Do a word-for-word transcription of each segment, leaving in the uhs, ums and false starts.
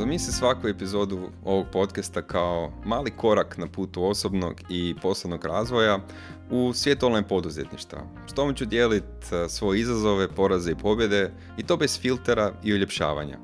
Zamisli svaku epizodu ovog podcasta kao mali korak na putu osobnog i poslovnog razvoja u svijet online poduzetništva. S tom ću dijeliti svoje izazove, poraze i pobjede i to bez filtera i uljepšavanja.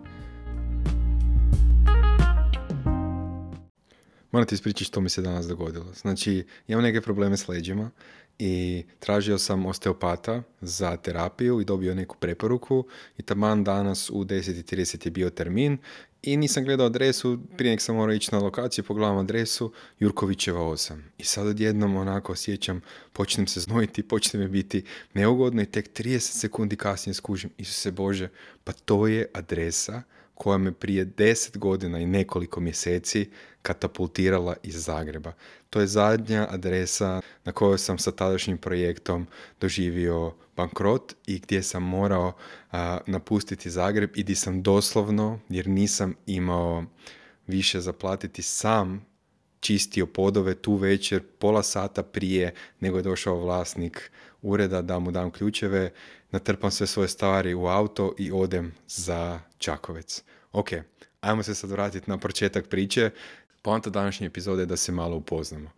Moram ti ispričati što mi se danas dogodilo. Znači, imam neke probleme s leđima i tražio sam osteopata za terapiju i dobio neku preporuku i taman danas u deset i trideset je bio termin i nisam gledao adresu, prije nek sam morao ići na lokaciju, pogledam adresu, Jurkovićeva osam. I sad odjednom onako osjećam, počnem se znojiti, počne mi biti neugodno i tek trideset sekundi kasnije skužim, Isuse Bože, pa to je adresa koja me prije deset godina i nekoliko mjeseci katapultirala iz Zagreba. To je zadnja adresa na kojoj sam sa tadašnjim projektom doživio bankrot i gdje sam morao a, napustiti Zagreb i gdje sam doslovno, jer nisam imao više zaplatiti, sam čistio podove tu večer, pola sata prije nego je došao vlasnik ureda da mu dam ključeve, natrpam sve svoje stvari u auto i odem za Čakovec. Ok, ajmo se sad vratiti na početak priče. Poanta današnje epizode je da se malo upoznamo.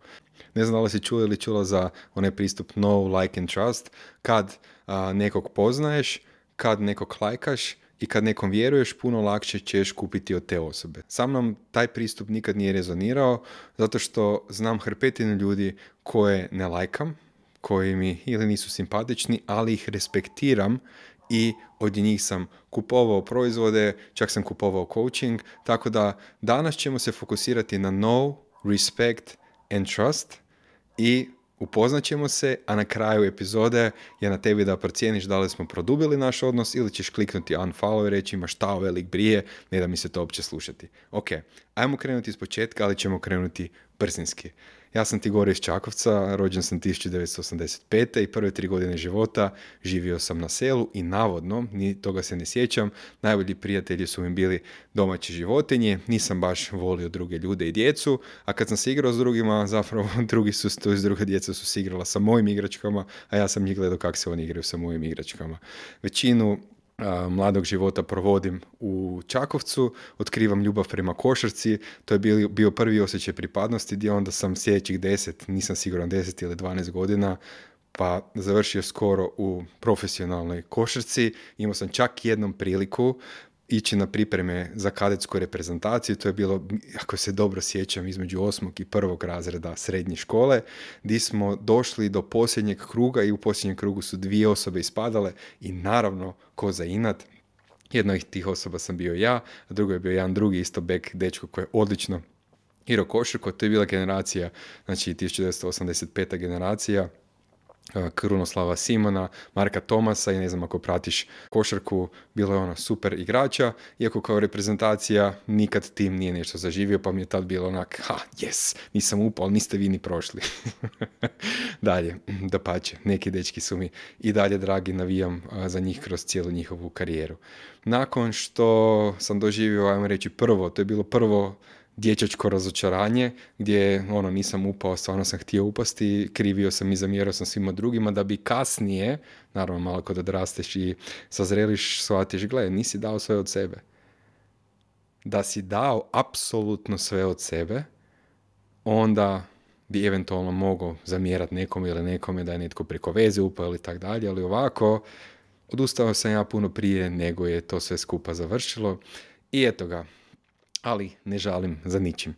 Ne znam da li si čuo ili čula za onaj pristup know, like and trust. Kad a, nekog poznaješ, kad nekog lajkaš i kad nekom vjeruješ, puno lakše ćeš kupiti od te osobe. Sam nam taj pristup nikad nije rezonirao, zato što znam hrpetinu ljudi koje ne lajkam, koji mi ili nisu simpatični, ali ih respektiram i od njih sam kupovao proizvode, čak sam kupovao coaching, tako da danas ćemo se fokusirati na know, respect and trust i upoznat ćemo se, a na kraju epizode je na tebi da procijeniš da li smo produbili naš odnos ili ćeš kliknuti unfollow i reći ima šta velik brije, ne da mi se to uopće slušati. Ok, ajmo krenuti iz početka, ali ćemo krenuti brzinski. Ja sam Tigor iz Čakovca, rođen sam tisuću devetsto osamdeset pete i prve tri godine života živio sam na selu i navodno, ni toga se ne sjećam, najbolji prijatelji su mi bili domaće životinje, nisam baš volio druge ljude i djecu, a kad sam se igrao s drugima, zapravo drugi su, to iz druga djeca su se igrala sa mojim igračkama, a ja sam njih gledao kako se oni igraju sa mojim igračkama. Većinu a, mladog života provodim u Čakovcu, otkrivam ljubav prema košarci, to je bio, bio prvi osjećaj pripadnosti gdje onda sam sljedećih deset, nisam siguran deset ili dvanaest godina, pa završio skoro u profesionalnoj košarci. Imao sam čak jednom priliku ići na pripreme za kadetsku reprezentaciju, to je bilo, ako se dobro sjećam, između osmog i prvog razreda srednje škole, gdje smo došli do posljednjeg kruga i u posljednjem krugu su dvije osobe ispadale i naravno, ko za inat, jedna od tih osoba sam bio ja, a drugo je bio jedan drugi isto bek dečko koji je odlično igrao košarku. To je bila generacija, znači tisuću devetsto osamdeset peta generacija, Krunoslava Simona, Marka Tomasa i ne znam ako pratiš košarku, bilo je ono super igrača, iako kao reprezentacija nikad tim nije nešto zaživio, pa mi je tad bilo onak, ha, yes, nisam upao, niste vi ni prošli. Dalje, dapače, neki dečki su mi i dalje dragi, navijam za njih kroz cijelu njihovu karijeru. Nakon što sam doživio, ajmo reći prvo, to je bilo prvo dječačko razočaranje, gdje ono, nisam upao, stvarno sam htio upasti, krivio sam i zamjerao sam svima drugima, da bi kasnije, naravno malo kod odrasteš i sazreliš, shvatiš, gle, nisi dao sve od sebe. Da si dao apsolutno sve od sebe, onda bi eventualno mogao zamjerati nekom ili nekome da je netko preko veze upao ili tak dalje, ali ovako, odustao sam ja puno prije nego je to sve skupa završilo i eto ga. Ali ne žalim za ničim.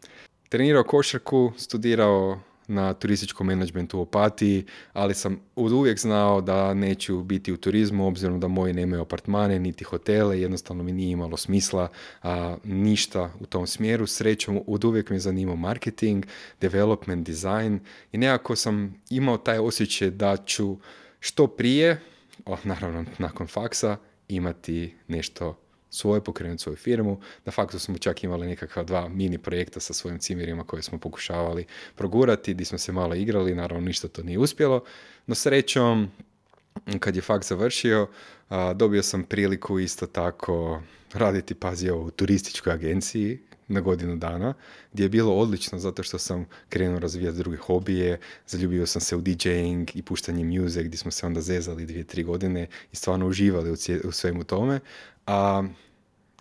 Trenirao košarku, studirao na turističkom menadžmentu u Opatiji, ali sam od uvijek znao da neću biti u turizmu, obzirom da moji nemaju apartmane, niti hotele, jednostavno mi nije imalo smisla a, ništa u tom smjeru. Srećom, od uvijek me zanimao marketing, development, design i nekako sam imao taj osjećaj da ću što prije, o, naravno nakon faksa, imati nešto svoje, pokrenuti svoju firmu. Na faktu smo čak imali nekakva dva mini projekta sa svojim cimerima koje smo pokušavali progurati, gdje smo se malo igrali, naravno ništa to nije uspjelo, no srećom, kad je fakt završio, dobio sam priliku isto tako raditi, pazi ovo, u turističkoj agenciji na godinu dana, gdje je bilo odlično zato što sam krenuo razvijati druge hobije, zaljubio sam se u DJing i puštanje music, gdje smo se onda zezali dvije, tri godine i stvarno uživali u, cije, u svemu tome. A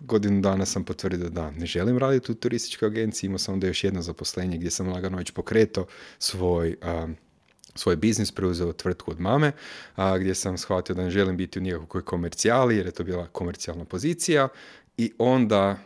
godinu dana sam potvrdio da ne želim raditi u turističkoj agenciji, imao sam onda još jedno zaposlenje gdje sam lagano već pokretao svoj, a, svoj biznis, preuzeo tvrtku od mame, a, gdje sam shvatio da ne želim biti u nikakvoj komercijali, jer je to bila komercijalna pozicija, i onda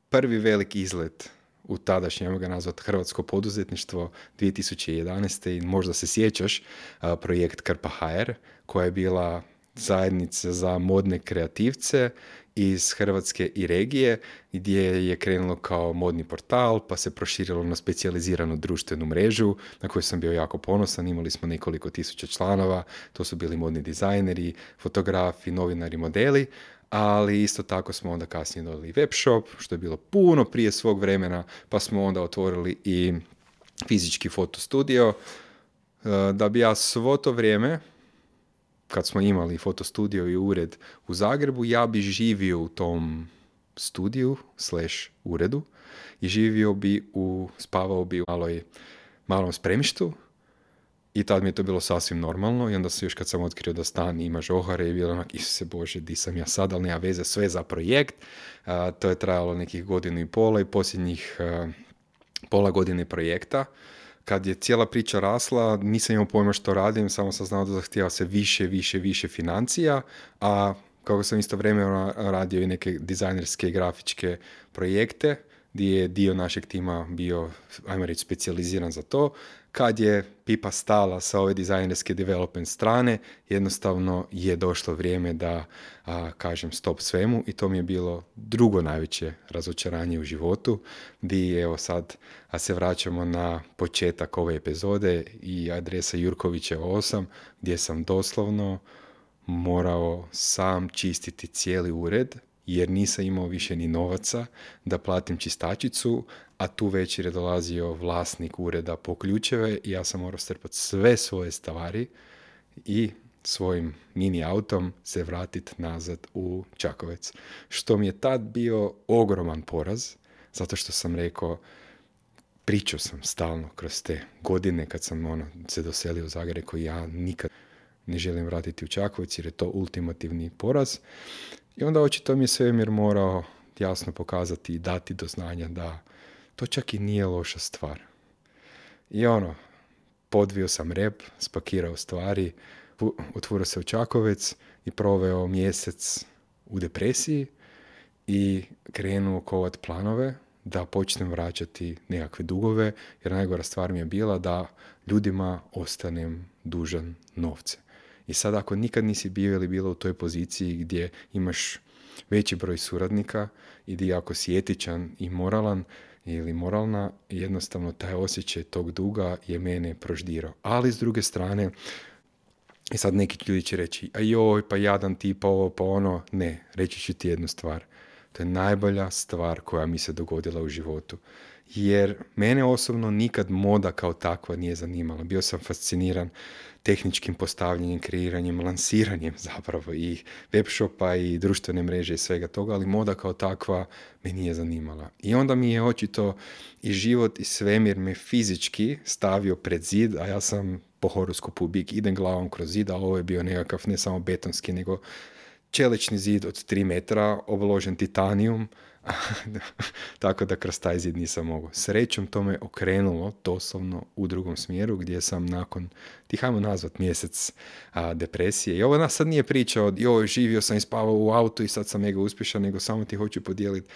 prvi veliki izlet u tadašnje, ajmo ga nazvati, hrvatsko poduzetništvo dvije tisuće jedanaeste. I možda se sjećaš, a, projekt Krpa ha er, koja je bila zajednica za modne kreativce iz Hrvatske i regije, gdje je krenulo kao modni portal, pa se proširilo na specijaliziranu društvenu mrežu, na koju sam bio jako ponosan. Imali smo nekoliko tisuća članova, to su bili modni dizajneri, fotografi, novinari, modeli, ali isto tako smo onda kasnije dodali web shop, što je bilo puno prije svog vremena, pa smo onda otvorili i fizički fotostudio, da bi ja svo to vrijeme, kad smo imali fotostudio i ured u Zagrebu, ja bi živio u tom studiju slash uredu i živio bi u, spavao bi u maloj, malom spremištu, i tad mi je to bilo sasvim normalno. I onda se još kad sam otkrio da stan ima žohare i bilo onak, Isuse Bože, di sam ja sad, ali nema veze, sve za projekt. A, to je trajalo nekih godinu i pola i posljednjih a, pola godine projekta. Kad je cijela priča rasla, nisam imao pojma što radim, samo sam znao da zahtijeva se više, više, više financija, a kako sam istovremeno radio i neke dizajnerske i grafičke projekte, gdje je dio našeg tima bio, ajmo reći, specijaliziran za to, kad je pipa stala sa ove dizajnerske development strane, jednostavno je došlo vrijeme da a, kažem stop svemu, i to mi je bilo drugo najveće razočaranje u životu, gdje evo sad a se vraćamo na početak ove epizode i adresa Jurkovićeva osam, gdje sam doslovno morao sam čistiti cijeli ured, jer nisam imao više ni novaca da platim čistačicu, a tu večer je dolazio vlasnik ureda po ključeve i ja sam morao strpati sve svoje stvari i svojim mini autom se vratiti nazad u Čakovec. Što mi je tad bio ogroman poraz, zato što sam rekao, pričao sam stalno kroz te godine kad sam ono, se doselio u Zagreb, rekao ja nikad ne želim vratiti u Čakovec jer je to ultimativni poraz. I onda očito mi je svemir morao jasno pokazati i dati do znanja da to čak i nije loša stvar. I ono, podvio sam rep, spakirao stvari, otvorio se u Čakovec i proveo mjesec u depresiji i krenuo kovat planove da počnem vraćati nekakve dugove, jer najgora stvar mi je bila da ljudima ostanem dužan novce. I sad ako nikad nisi bio ili bila u toj poziciji gdje imaš veći broj suradnika i gdje ako si etičan i moralan ili moralna, jednostavno taj osjećaj tog duga je mene proždirao. Ali s druge strane, i sad neki ljudi će reći, a joj, pa jadan ti, pa ovo, pa ono. Ne, reći ću ti jednu stvar. To je najbolja stvar koja mi se dogodila u životu. Jer mene osobno nikad moda kao takva nije zanimala. Bio sam fasciniran tehničkim postavljanjem, kreiranjem, lansiranjem zapravo i web shopa i društvene mreže i svega toga, ali moda kao takva me nije zanimala. I onda mi je očito i život i svemir me fizički stavio pred zid, a ja sam po horoskopu bik, idem glavom kroz zid, a ovo je bio nekakav ne samo betonski, nego čelični zid od tri metra, obložen titanijum, tako da kroz taj zid nisam mogao. Srećom to me okrenulo doslovno u drugom smjeru, gdje sam nakon, ti hajmo nazvat, mjesec a, depresije. I ovo nas sad nije priča od joj, živio sam i spavao u autu i sad sam mega uspješan, nego samo ti hoću podijeliti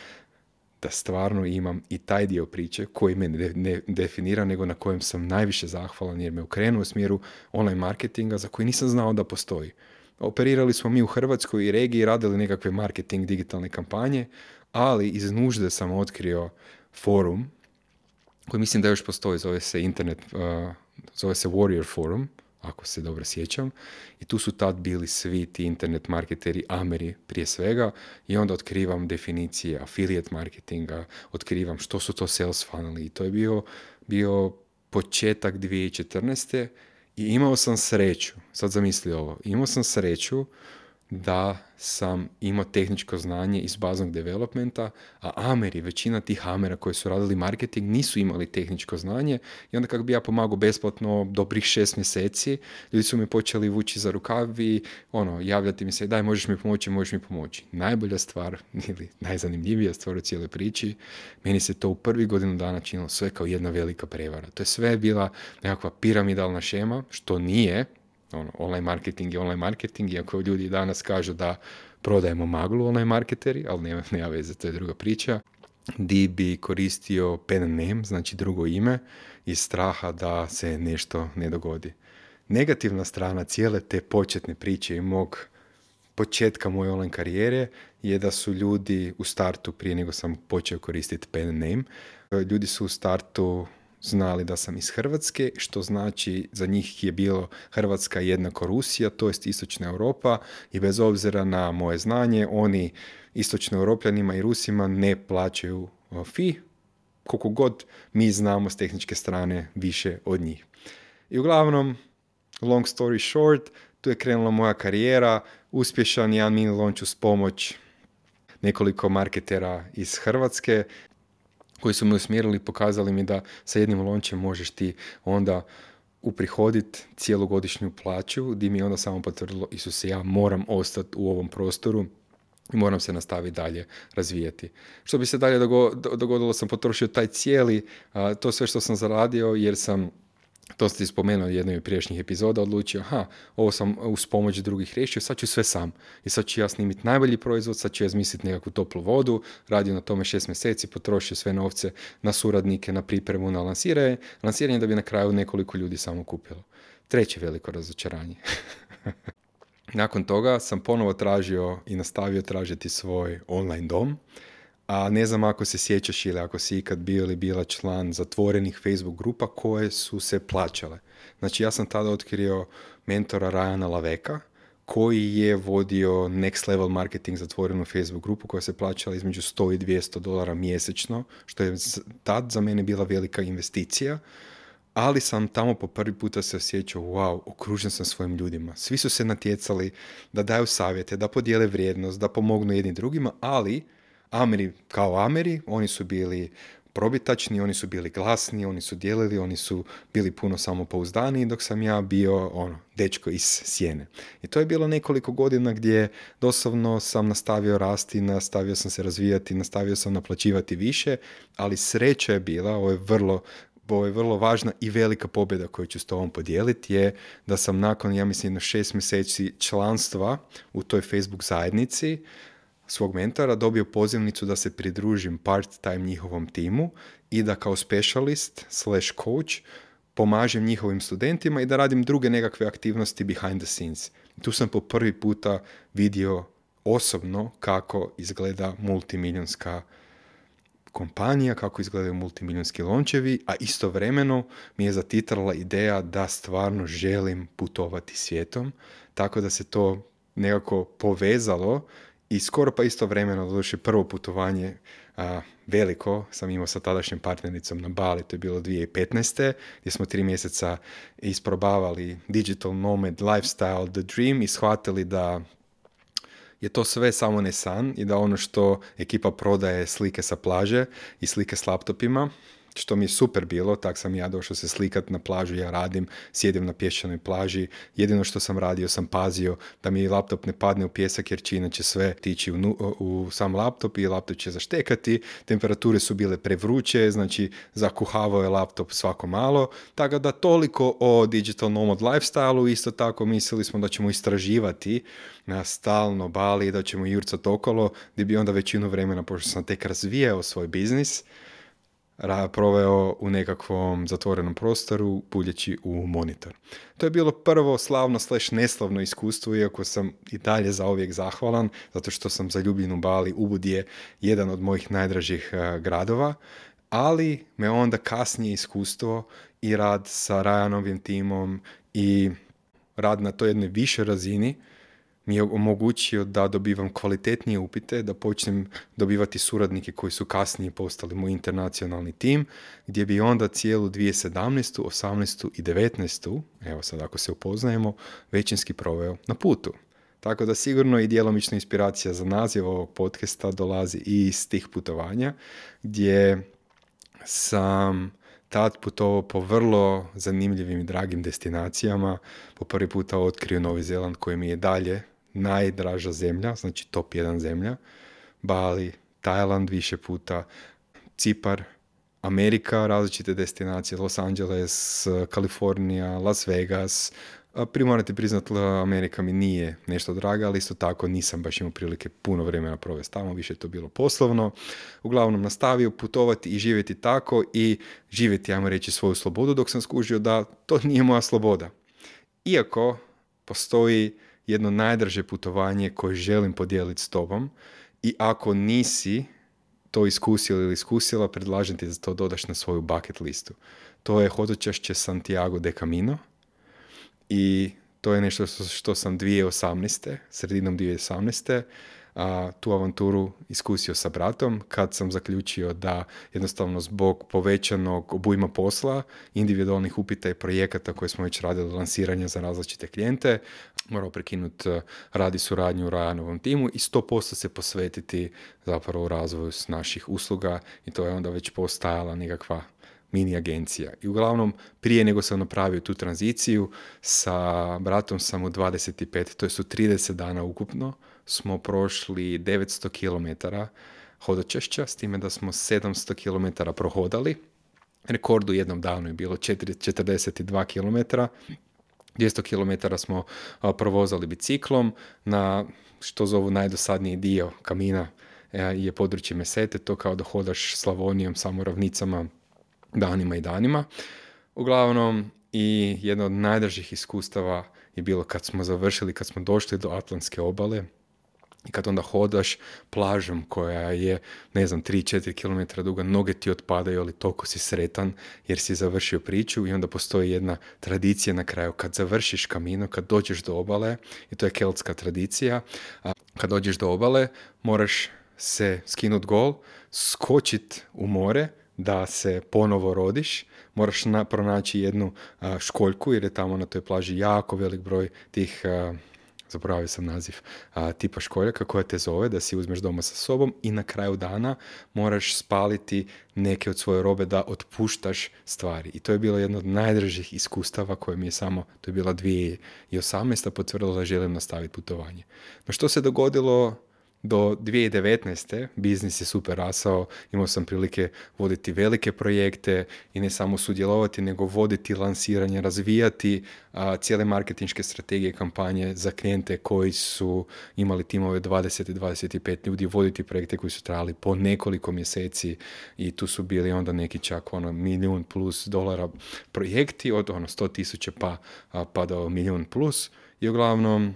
da stvarno imam i taj dio priče koji me ne, ne definira, nego na kojem sam najviše zahvalan, jer me okrenuo u smjeru online marketinga za koji nisam znao da postoji. Operirali smo mi u Hrvatskoj i regiji, radili nekakve marketing digitalne kampanje, ali iz nužde sam otkrio forum koji mislim da još postoji, zove se internet, uh, zove se Warrior Forum, ako se dobro sjećam, i tu su tad bili svi ti internet marketeri, Ameri prije svega, i onda otkrivam definicije affiliate marketinga, otkrivam što su to sales funneli, i to je bio, bio početak dvije tisuće četrnaeste. I imao sam sreću, sad zamisli ovo, imao sam sreću da sam imao tehničko znanje iz baznog developmenta, a Ameri, većina tih Amera koji su radili marketing nisu imali tehničko znanje i onda kako bi ja pomagao besplatno dobrih šest mjeseci, ljudi su me počeli vući za rukav i ono, javljati mi se, daj možeš mi pomoći, možeš mi pomoći. Najbolja stvar ili najzanimljivija stvar u cijeloj priči, meni se to u prvih godinu dana činilo sve kao jedna velika prevara. To je sve bila nekakva piramidalna šema, što nije. Ono, online marketing je online marketing, iako ljudi danas kažu da prodajemo maglu online marketeri, ali nema, nema veze, to je druga priča. Di bi koristio pen name, znači drugo ime, iz straha da se nešto ne dogodi. Negativna strana cijele te početne priče i mog početka moje online karijere je da su ljudi u startu, prije nego sam počeo koristiti pen name, ljudi su u startu znali da sam iz Hrvatske, što znači za njih je bilo Hrvatska jednako Rusija, to jest Istočna Europa, i bez obzira na moje znanje, oni Istočno Europljanima i Rusima ne plaćaju fee, koliko god mi znamo s tehničke strane više od njih. I uglavnom, long story short, tu je krenula moja karijera, uspješan jedan mini launch uz pomoć nekoliko marketera iz Hrvatske, koji su me usmjerili i pokazali mi da sa jednim launčem možeš ti onda uprihoditi cijelogodišnju plaću, gdje mi je onda samo potvrdilo, Isuse, ja moram ostati u ovom prostoru i moram se nastaviti dalje razvijati. Što bi se dalje dogodilo, sam potrošio taj cijeli, to sve što sam zaradio, jer sam, to ste spomenuo u jednoj prijašnjih epizoda, odlučio, aha, ovo sam uz pomoć drugih riješio, sad ću sve sam. I sad ću ja snimiti najbolji proizvod, sad ću ja izmisliti nekakvu toplu vodu, radio na tome šest mjeseci, potrošio sve novce na suradnike, na pripremu, na lansiranje, lansiranje da bi na kraju nekoliko ljudi samo kupilo. Treće veliko razočaranje. Nakon toga sam ponovo tražio i nastavio tražiti svoj online dom, a ne znam ako se sjećaš ili ako si ikad bio ili bila član zatvorenih Facebook grupa koje su se plaćale. Znači ja sam tada otkrio mentora Ryana Laveka, koji je vodio Next Level Marketing zatvorenu Facebook grupu koja se plaćala između sto i dvjesto dolara mjesečno, što je tad za mene bila velika investicija, ali sam tamo po prvi puta se osjećao, wow, okružen sam svojim ljudima. Svi su se natjecali da daju savjete, da podijele vrijednost, da pomognu jedni drugima, ali Ameri kao Ameri, oni su bili probitačni, oni su bili glasni, oni su dijelili, oni su bili puno samopouzdaniji, dok sam ja bio ono, dečko iz sjene. I to je bilo nekoliko godina gdje doslovno sam nastavio rasti, nastavio sam se razvijati, nastavio sam naplaćivati više, ali sreća je bila, ovo je vrlo Ovo je vrlo važna i velika pobjeda koju ću s tobom podijeliti, je da sam nakon, ja mislim, na šest mjeseci članstva u toj Facebook zajednici svog mentora dobio pozivnicu da se pridružim part-time njihovom timu i da kao specialist slash coach pomažem njihovim studentima i da radim druge nekakve aktivnosti behind the scenes. Tu sam po prvi puta vidio osobno kako izgleda multimiljonska kompanija, kako izgledaju multimiljonski launchevi, a istovremeno mi je zatitrala ideja da stvarno želim putovati svijetom, tako da se to nekako povezalo i skoro pa istovremeno, doduše prvo putovanje a, veliko sam imao sa tadašnjom partnericom na Bali, to je bilo dvije tisuće petnaeste. gdje smo tri mjeseca isprobavali digital nomad lifestyle, the dream, i shvatili da je to sve samo ne san i da ono što ekipa prodaje slike sa plaže i slike s laptopima, što mi je super bilo, tak sam ja došao se slikat na plažu, ja radim, sjedim na pješčanoj plaži, jedino što sam radio sam pazio da mi laptop ne padne u pjesak jer će inače sve tići u, u sam laptop i laptop će zaštekati, temperature su bile prevruće, znači zakuhavao je laptop svako malo, tako da toliko o digital nomad lifestyle-u. Isto tako mislili smo da ćemo istraživati na stalno Bali i da ćemo jurcati okolo, gdje bi onda većinu vremena, pošto sam tek razvijao svoj biznis, proveo u nekakvom zatvorenom prostoru puljeći u monitor. To je bilo prvo slavno slash neslavno iskustvo, iako sam i dalje zauvijek zahvalan, zato što sam zaljubljen u Bali. Ubud je jedan od mojih najdražih uh, gradova, ali me onda kasnije iskustvo i rad sa Ryanovim timom i rad na toj jednoj višoj razini mi je omogućio da dobivam kvalitetnije upite, da počnem dobivati suradnike koji su kasnije postali moj internacionalni tim, gdje bi onda cijelu dvije tisuće sedamnaestu, osamnaestu i devetnaestu, evo sad ako se upoznajemo, većinski proveo na putu. Tako da sigurno i djelomična inspiracija za naziv ovog podcasta dolazi i iz tih putovanja, gdje sam tad putovao po vrlo zanimljivim i dragim destinacijama. Po prvi puta otkrio Novi Zeland, koji mi je dalje najdraža zemlja, znači top jedan zemlja. Bali, Tajland više puta, Cipar, Amerika, različite destinacije, Los Angeles, Kalifornija, Las Vegas. Prije morate priznati, Amerika mi nije nešto draga, ali isto tako nisam baš imao prilike puno vremena provesti tamo, više je to bilo poslovno. Uglavnom nastavio putovati i živjeti tako i živjeti, ajmo reći, svoju slobodu, dok sam skužio da to nije moja sloboda. Iako postoji jedno najdraže putovanje koje želim podijeliti s tobom i ako nisi to iskusio ili iskusila, predlažem ti da to dodaš na svoju bucket listu. To je hodočašće Santiago de Camino i to je nešto što sam dvije tisuće osamnaeste, sredinom dvije tisuće osamnaeste, a, tu avanturu iskusio sa bratom kad sam zaključio da jednostavno zbog povećanog obujma posla, individualnih upita i projekata koje smo već radili, lansiranja za različite klijente, morao prekinuti radi suradnju u Rajanovom timu i sto posto se posvetiti zapravo razvoju naših usluga i to je onda već postajala nekakva mini agencija. I uglavnom, prije nego sam napravio tu tranziciju, sa bratom sam u dvadeset pet, to je su trideset dana ukupno, smo prošli devetsto kilometara hodočešća, s time da smo sedamsto kilometara prohodali. Rekord u jednom danu je bilo četrdeset dva kilometra. dvjesto kilometara smo a, provozali biciklom na što zovu najdosadniji dio Kamina a, je područje Mesete, to kao da hodaš Slavonijom, samo ravnicama, danima i danima. Uglavnom, i jedno od najdražih iskustava je bilo kad smo završili, kad smo došli do Atlantske obale i kad onda hodaš plažom koja je, ne znam, tri do četiri kilometra duga, noge ti otpadaju, ali toliko si sretan jer si završio priču i onda postoji jedna tradicija na kraju. Kad završiš Camino, kad dođeš do obale, i to je keltska tradicija, a kad dođeš do obale, moraš se skinut gol, skočit u more, da se ponovo rodiš, moraš na, pronaći jednu a, školjku, jer je tamo na toj plaži jako velik broj tih, a, zaboravio sam naziv, a, tipa školjaka koja te zove da si uzmeš doma sa sobom i na kraju dana moraš spaliti neke od svoje robe da otpuštaš stvari. I to je bilo jedno od najdražih iskustava koje mi je samo, to je bila dvije tisuće osamnaesta, potvrdila da želim nastaviti putovanje. No što se dogodilo do dvije tisuće devetnaeste? Biznis je super rasao, imao sam prilike voditi velike projekte i ne samo sudjelovati, nego voditi lansiranje, razvijati a, cijele marketinške strategije, kampanje za klijente koji su imali timove dvadeset do dvadeset pet ljudi, voditi projekte koji su trajali po nekoliko mjeseci i tu su bili onda neki čak ono milijun plus dolara projekti, od ono sto tisuća pa, a, pa do milijun plus i uglavnom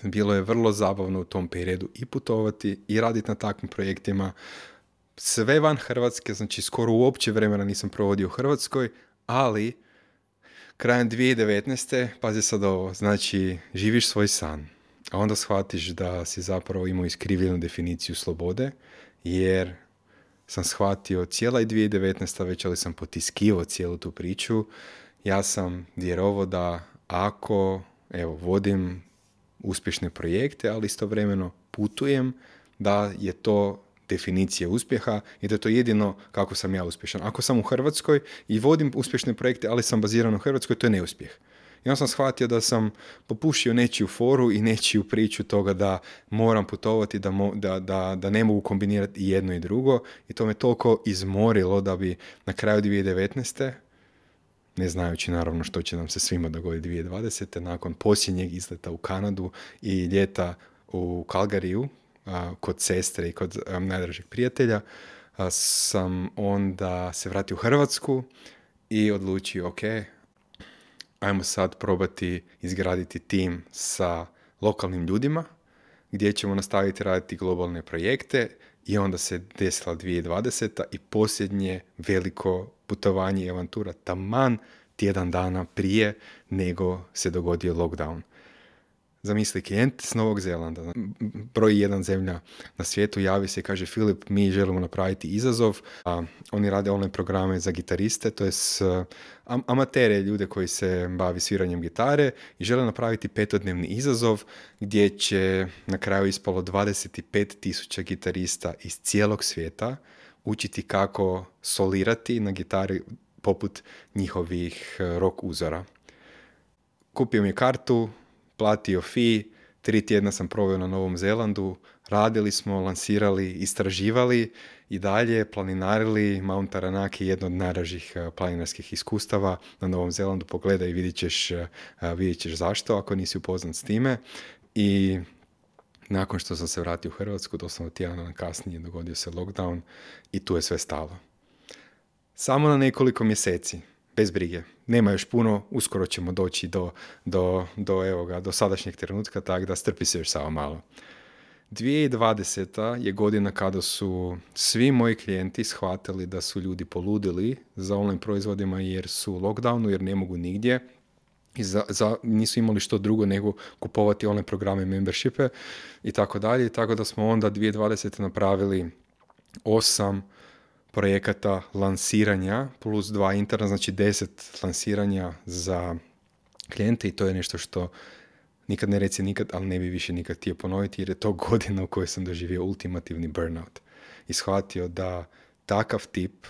bilo je vrlo zabavno u tom periodu i putovati i raditi na takvim projektima. Sve van Hrvatske, znači skoro uopće vremena nisam provodio u Hrvatskoj, ali krajem dvije tisuće devetnaeste, pazi sad ovo, znači živiš svoj san, a onda shvatiš da si zapravo imao iskrivljenu definiciju slobode, jer sam shvatio cijela i dvije tisuće devetnaesta već, ali sam potiskivao cijelu tu priču. Ja sam vjerovao da ako, evo, vodim uspješne projekte, ali istovremeno putujem, da je to definicija uspjeha i da je to jedino kako sam ja uspješan. Ako sam u Hrvatskoj i vodim uspješne projekte, ali sam baziran u Hrvatskoj, to je neuspjeh. I onda sam shvatio da sam popušio nečiju foru i nečiju priču toga da moram putovati, da, mo, da, da, da ne mogu kombinirati i jedno i drugo i to me toliko izmorilo da bi na kraju dvije tisuće devetnaeste, ne znajući naravno što će nam se svima dogoditi dvije tisuće dvadesete, nakon posljednjeg izleta u Kanadu i ljeta u Calgaryju, a, kod sestre i kod a, najdražeg prijatelja, a, sam onda se vratio u Hrvatsku i odlučio, ok, ajmo sad probati izgraditi tim sa lokalnim ljudima, gdje ćemo nastaviti raditi globalne projekte i onda se desila dvije tisuće dvadeseta i posljednje veliko putovanje i avantura taman tjedan dana prije nego se dogodio lockdown. Zamisli, klijent s Novog Zelanda, broj jedan zemlja na svijetu, javi se i kaže: Filip, mi želimo napraviti izazov. A, oni rade online programe za gitariste, to je s am- amatere, ljude koji se bavi sviranjem gitare i žele napraviti petodnevni izazov gdje će na kraju ispalo dvadeset pet tisuća gitarista iz cijelog svijeta učiti kako solirati na gitari poput njihovih rock uzora. Kupio mi je kartu, platio fee, tri tjedna sam proveo na Novom Zelandu, radili smo, lansirali, istraživali i dalje planinarili. Mount Taranaki je jedno od najdražih planinarskih iskustava na Novom Zelandu. Pogledaj i vidjet ćeš, vidjet ćeš zašto ako nisi upoznat s time. I nakon što sam se vratio u Hrvatsku, doslovno tjedan kasnije dogodio se lockdown i tu je sve stalo. Samo na nekoliko mjeseci. Bez brige. Nema još puno, uskoro ćemo doći do, do, do, evo ga, do sadašnjeg trenutka, tako da strpi se još samo malo. dvije tisuće dvadeseta je godina kada su svi moji klijenti shvatili da su ljudi poludili za online proizvodima jer su u lockdownu, jer ne mogu nigdje i za, za, nisu imali što drugo nego kupovati online programe, membershipe i tako dalje. Tako da smo onda dvije tisuće dvadesete napravili osam projekata lansiranja plus dva interna, znači deset lansiranja za klijente i to je nešto što nikad ne reci nikad, ali ne bi više nikad htio ponoviti jer je to godina u kojoj sam doživio ultimativni burnout i shvatio da takav tip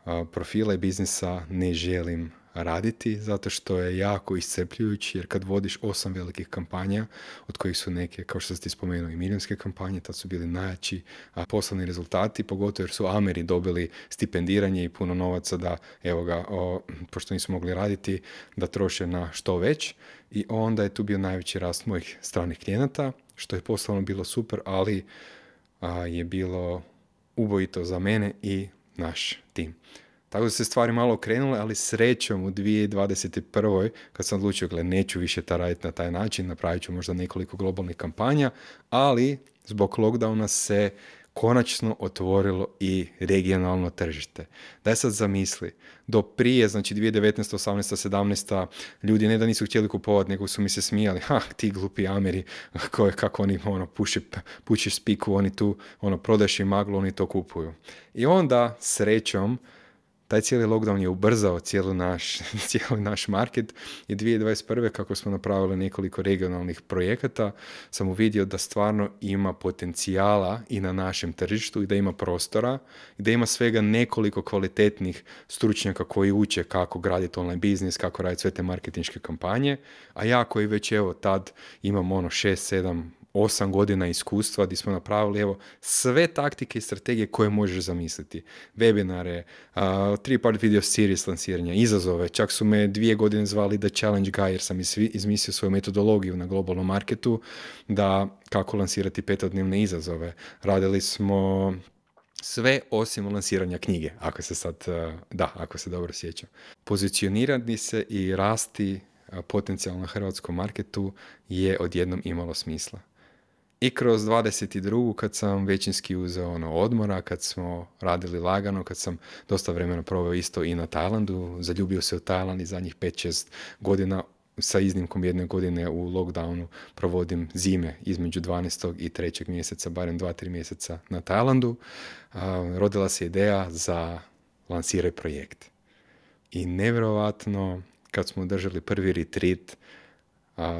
uh, profila i biznisa ne želim raditi zato što je jako iscrpljujući jer kad vodiš osam velikih kampanja od kojih su neke, kao što ste spomenuo, i milijunske kampanje, tad su bili najjači a poslovni rezultati, pogotovo jer su Ameri dobili stipendiranje i puno novaca da, evo ga, o, pošto nisu mogli raditi, da troše na što već i onda je tu bio najveći rast mojih stranih klijenata, što je poslovno bilo super, ali a, je bilo ubojito za mene i naš tim. Tako da se stvari malo okrenule, ali srećom u dvije tisuće dvadeset prve kad sam odlučio, gle, neću više ta raditi na taj način, napravit ću možda nekoliko globalnih kampanja, ali zbog lockdowna se konačno otvorilo i regionalno tržište. Daj sad zamisli, do prije, znači dvije tisuće devetnaesta, osamnaesta, sedamnaesta ljudi ne da nisu htjeli kupovati, nego su mi se smijali, ha, ti glupi Ameri, koje, kako oni ono, puši, pušiš spiku, oni tu ono, prodaš im maglu, oni to kupuju. I onda, srećom, taj cijeli lockdown je ubrzao cijeli naš, cijeli naš market i dvije tisuće dvadeset prve kako smo napravili nekoliko regionalnih projekata sam uvidio da stvarno ima potencijala i na našem tržištu i da ima prostora i da ima svega nekoliko kvalitetnih stručnjaka koji uče kako graditi online biznis, kako raditi sve te marketinške kampanje, a ja koji već evo tad imam ono šest, sedam, osam godina iskustva gdje smo napravili evo sve taktike i strategije koje možeš zamisliti. Webinare, uh, three-part video series lansiranja, izazove, čak su me dvije godine zvali The Challenge Guy jer sam izmislio svoju metodologiju na globalnom marketu da kako lansirati petodnevne izazove. Radili smo sve osim lansiranja knjige, ako se sad, uh, da, ako se dobro sjećam. Pozicionirati se i rasti uh, potencijal na hrvatskom marketu je odjednom imalo smisla. I kroz dvadeset drugu kad sam većinski uzeo ono odmora, kad smo radili lagano, kad sam dosta vremena proveo isto i na Tajlandu, zaljubio se u Tajland i zadnjih pet šest godina sa iznimkom jedne godine u lockdownu provodim zime između dvanaestog i trećeg mjeseca, barem dva tri mjeseca na Tajlandu. Uh, rodila se ideja za lansiraj projekt. I nevjerovatno kad smo držali prvi retreat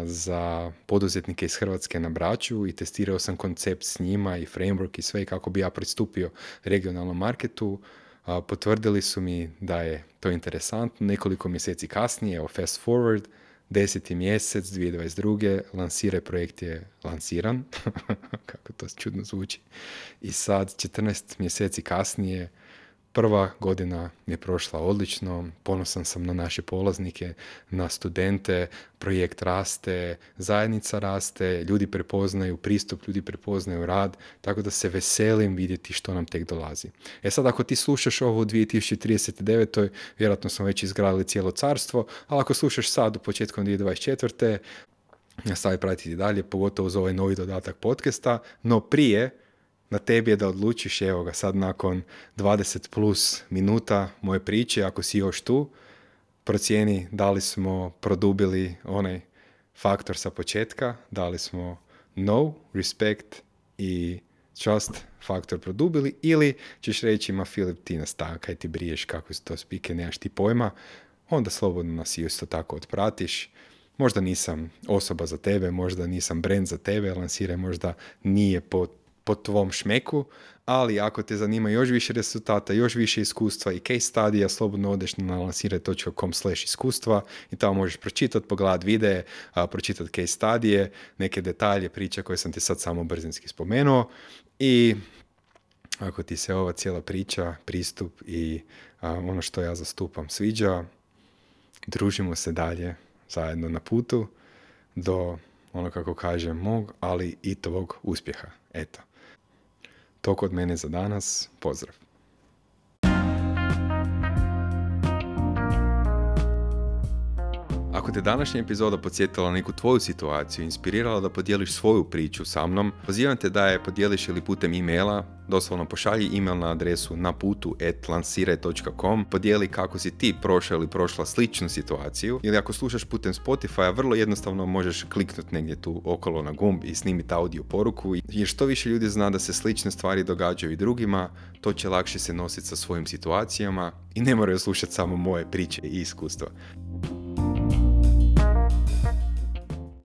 za poduzetnike iz Hrvatske na Braču i testirao sam koncept s njima i framework i sve kako bi ja pristupio regionalnom marketu. Potvrdili su mi da je to interesantno. Nekoliko mjeseci kasnije, evo fast forward, deseti mjesec dvije tisuće dvadeset druge lansiraj projekt je lansiran. Kako to čudno zvuči. I sad četrnaest mjeseci kasnije prva godina je prošla odlično, ponosan sam na naše polaznike, na studente, projekt raste, zajednica raste, ljudi prepoznaju pristup, ljudi prepoznaju rad, tako da se veselim vidjeti što nam tek dolazi. E sad, ako ti slušaš ovo u dvije tisuće trideset devetoj vjerojatno smo već izgradili cijelo carstvo, ali ako slušaš sad u početkom dvije tisuće dvadeset četvrte nastavi pratiti dalje, pogotovo uz ovaj novi dodatak podcasta, no prije na tebi je da odlučiš, evo ga sad nakon dvadeset plus minuta moje priče, ako si još tu, procijeni da li smo produbili onaj faktor sa početka, dali smo know, respect i trust faktor produbili, ili ćeš reći, ma Filip, ti nas ta, kaj ti briješ, kako su to spike, nemaš ti pojma, onda slobodno nas isto tako otpratiš. Možda nisam osoba za tebe, možda nisam brand za tebe, lansiraj možda nije po, po tvom šmeku, ali ako te zanima još više rezultata, još više iskustva i case studija, slobodno odeš na lansiraj točka com slash iskustva i tamo možeš pročitati, pogledati videe, pročitati case studije, neke detalje, priče koje sam ti sad samo brzinski spomenuo. I ako ti se ova cijela priča, pristup i a, ono što ja zastupam sviđa, družimo se dalje zajedno na putu do, ono kako kažem, mog, ali i tvog uspjeha. Eto. Toliko od mene za danas. Pozdrav. Ako te današnja epizoda podsjetila na neku tvoju situaciju, inspirirala da podijeliš svoju priču sa mnom, pozivam te da je podijeliš ili putem e-maila, doslovno pošalji e-mail na adresu naputu at lansiraj točka com, podijeli kako si ti prošao ili prošla sličnu situaciju, ili ako slušaš putem Spotify, vrlo jednostavno možeš kliknuti negdje tu okolo na gumb i snimiti audio poruku, jer što više ljudi zna da se slične stvari događaju i drugima, to će lakše se nositi sa svojim situacijama i ne moraju slušati samo moje priče i iskustva.